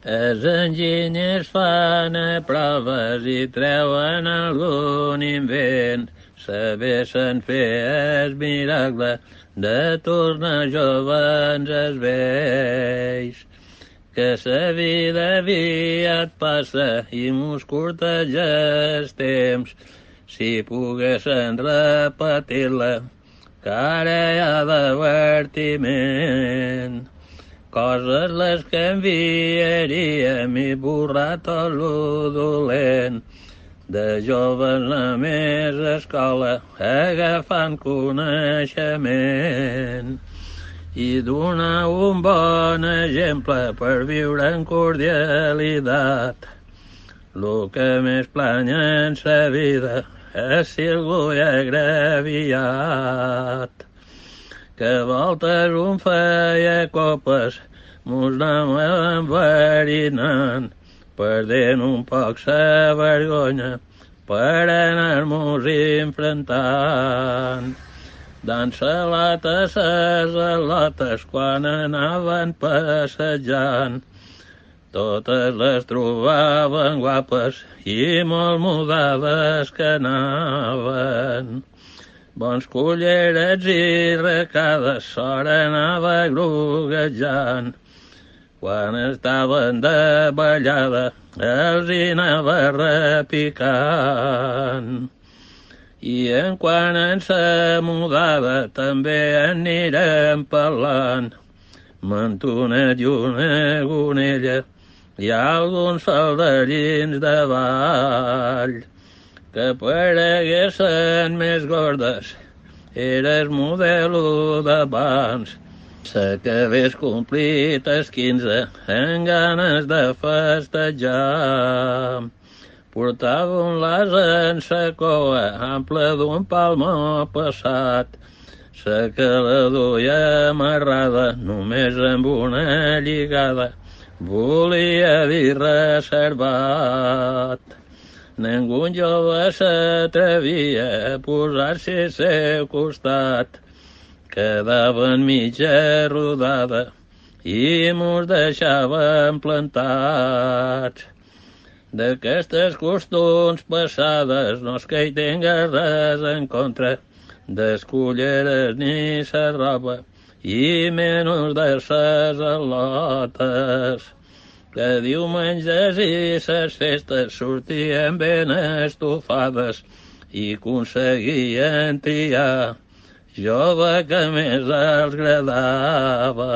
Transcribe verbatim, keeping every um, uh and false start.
Els enginyers fan proves i treuen algun invent. Sabessin fer el miracle de tornar jovens els vells. Que sa vida aviat passa i mos curteja el temps. Si poguessin repetir-la, que ara hi ha divertiment. Coses les canviaríem i borrar tot lo dolent. De joves només a escola agafant coneixement i donar un bon exemple per viure en cordialitat. Lo que més planya en sa vida és si algú hi ha agraviat. Que voltes un feia copes, mos anàvem enverinant, perdent un poc sa vergonya per anar-mos enfrontant. Dan salata ses al·lotes quan anaven passejant, totes les trobaven guapes i molt mudades que anaven. Bons cullerets i recades s'hora anava groguejant. Quan estaven de ballada els hi anava repicant. I en quan en sa mudada també anirem parlant. Mantonet i una gonella i alguns soldadins de ball que pareguessin més gordes era el modelo d'abans. S'acabés complit els quinze amb ganes de festejar. Portava un las en sa coa ample d'un palmó passat. Sa que la duia amarrada només amb una lligada volia dir reservat. Ningú jove s'atrevia a posar-se al seu costat. Quedaven mitja rodada i mos deixaven plantats. D'aquestes costums passades no és que hi tinga res en contra, des culleres ni sa roba i menys de ses al·lotes. Que diumenges i ses festes sortien ben estufades i aconseguien triar jove que més els agradava.